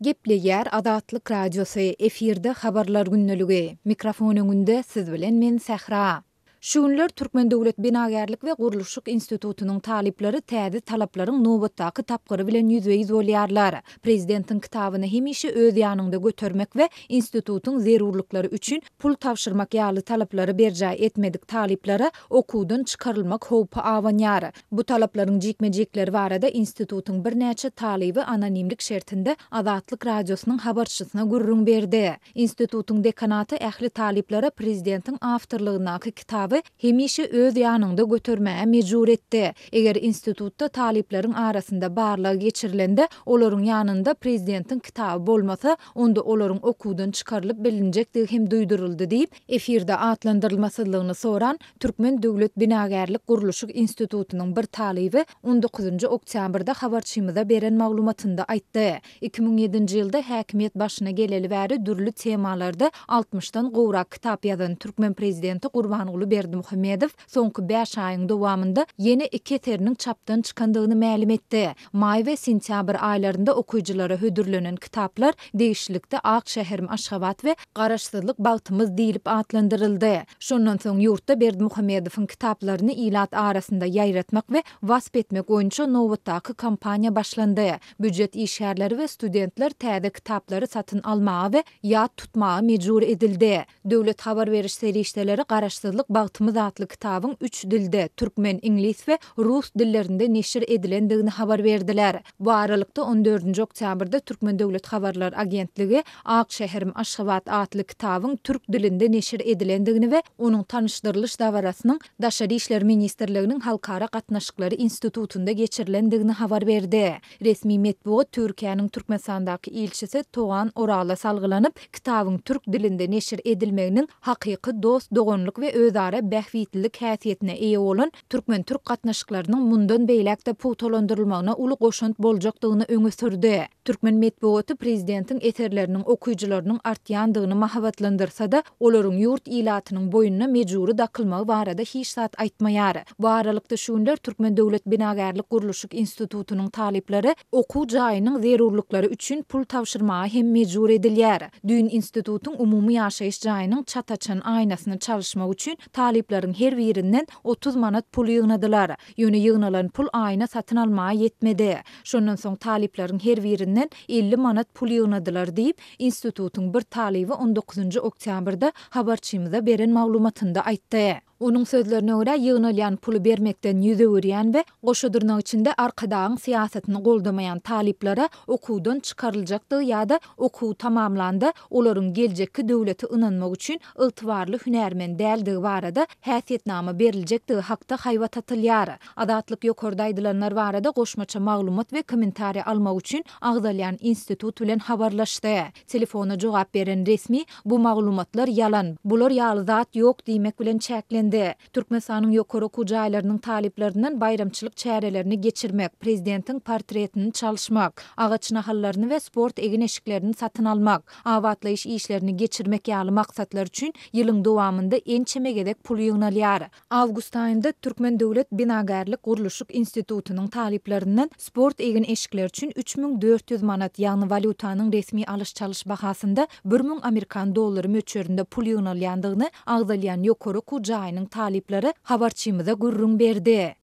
Gepleýär Azatlyk Radiosy, efirde Habarlar gündeligi. Mikrofon öňünde siz bilen men Sähra. Şu günler Türkmen döwlet binagärlik we gurluşyk institutynyň talyplary täze talaplaryň nobatdaky tapgyry bilen ýüzbe-ýüz bolýarlar. Prezidentiň kitabyny hemişe öz ýanyňda götermek we institutyň zerurlyklary üçin pul tabşyrmak ýaly talaplary berjaý etmedik talyplara okuwdan çykarylmak howpy abanýar. Bu talaplaryň jikme-jikleri barada institutyň birnäçe talyby anonimlik şertinde Azatlyk Radiosynyň habarçysyna gürrüň berdi. Institutyň dekanaty ähli talyplara prezidentiň awtorlygyndaky kitaby hemişe öz ýanyňda götermäge mejbur etdi. Eger institutda talyplaryň arasynda barlag geçirilende, olaryň ýanynda prezidentiň kitaby bolmasa, onda olaryň okuwdan çykarylyp bilinjekdigi hem duýduryldy diýip, efirde atlandyrylmasyzlygyny soran Türkmen döwlet binagärlik-gurluşyk institutynyň bir talyby on dokuzynjy oktýabrda habarçymyza beren maglumatynda aýtdy. 2007-nji ýylda häkimiýet başyna geleli bäri dürli temalarda altmyşdan gowrak kitap ýazan türkmen prezidenti Gurbanguly Berdimuhamedow soňky bäş aýyň dowamynda ýene iki eseriniň çapdan çykandygyny mälim etdi. Maý we sentýabr aýlarynda okyjylara hödürlenen kitaplar degişlilikde Ak şäherim Aşgabat we Garaşsyzlyk bagtymyz diýlip atlandyryldy. Şondan soň ýurtda Berdimuhamedowyň kitaplaryny ilat arasynda ýaýratmak we wasp etmek boýunça nobatdaky kampaniýa başlandy. Býujet işgärleri we studentler täze kitaplary satyn almaga we ýat tutmaga mejbur edildi. Döwlet habar beriş serişdeleri Garaşsyzlyk bagtymyz atly kitabyň üç dilde, türkmen, iňlis we rus dillerinde neşir edilendigini habar berdiler. Bu aralykda, on dördünji oktýabrda Türkmen döwlet habarlar agentligi Ak şäherim Aşgabat atly kitabyň türk dilinde neşir edilendigini we onuň tanyşdyrylyş dabarasynyň Daşary işler ministrliginiň Halkara gatnaşyklary institutynda geçirilendigini habar berdi. Resmi metbugat Türkiýäniň Türkmenistandaky ilçisi Togan Orala salgylanyp, kitabyň türk dilinde neşir edilmeginiň hakyky dost-doganlyk we özara bähbitlilik häsiýetine eýe bolan türkmen-türk gatnaşyklarynyň mundan beýläk-de pugtalandyrylmagyna uly goşant boljakdygyny öňe sürdi. Türkmen metbugaty prezidentiň eserleriniň okyjylarynyň artýandygyny mahabatlandyrsa-da, olaryň ýurt ilatynyň boýnuna mejbury dakylmagy barada hiç zat aýtmaýar. Bu aralykda, şu günler Türkmen döwlet binagärlik-gurluşyk institutynyň talyplary okuw jaýynyň zerurlyklary üçin pul tabşyrmaga hem mejbur edilýär. Düýn institutyň umumy ýaşaýyş jaýynyň çat açan aýnasyny çalyşmak üçin talyplaryň her birinden 30 manat pul ýygnadylar. Ýöne ýygnalan pul aýna satyn almaga ýetmedi. Şondan soň talyplaryň her birinden 50 manat pul ýygnadylar diýip, institutyň bir talyby on dokuzynjy oktýabrda habarçymyza beren maglumatynda aýtdy. Onuň sözlerine görä, ýygnalýan puly bermekden ýüz öwürýän we goşa dyrnak içinde Arkadagyň syýasatyny goldamaýan talyplara okuwdan çykaryljakdygy ýa-da okuwy tamamlanda olaryň geljekki döwleti ynanmak üçin ygtybarly hünärmen däldigi barada häsiýetnama beriljekdigi hakda haýbat atylýar. Azatlyk ýokarda aýdylanlar barada goşmaça maglumat we kommentariý almak üçin agzalýan institut bilen habarlaşdy. Telefona jogap beren resmi bu maglumatlar ýalan, bular ýaly zat ýok diýmek bilen çäklendi. Türkmenistanyň ýokary okuw jaýlarynyň talyplaryndan baýramçylyk çärelerini geçirmek, prezidentiň portretini çalyşmak, agaç nahallaryny we sport egin-eşiklerini satyn almak, abatlaýyş işlerini geçirmek ýaly maksatlar üçin ýylyň dowamynda ençeme gezek pul ýygnalýar. Awgust aýynda Türkmen döwlet binagärlik-gurluşyk institutynyň talyplaryndan sport egin-eşikleri üçin 3400 manat, ýagny walýutanyň resmi alyş-çalyş bahasynda 1000 amerikan dollary möçberinde pul ýygnalýandygyny agzalýan ýokary okuw jaýynyň talyplary habarçymyza gürrüň berdi.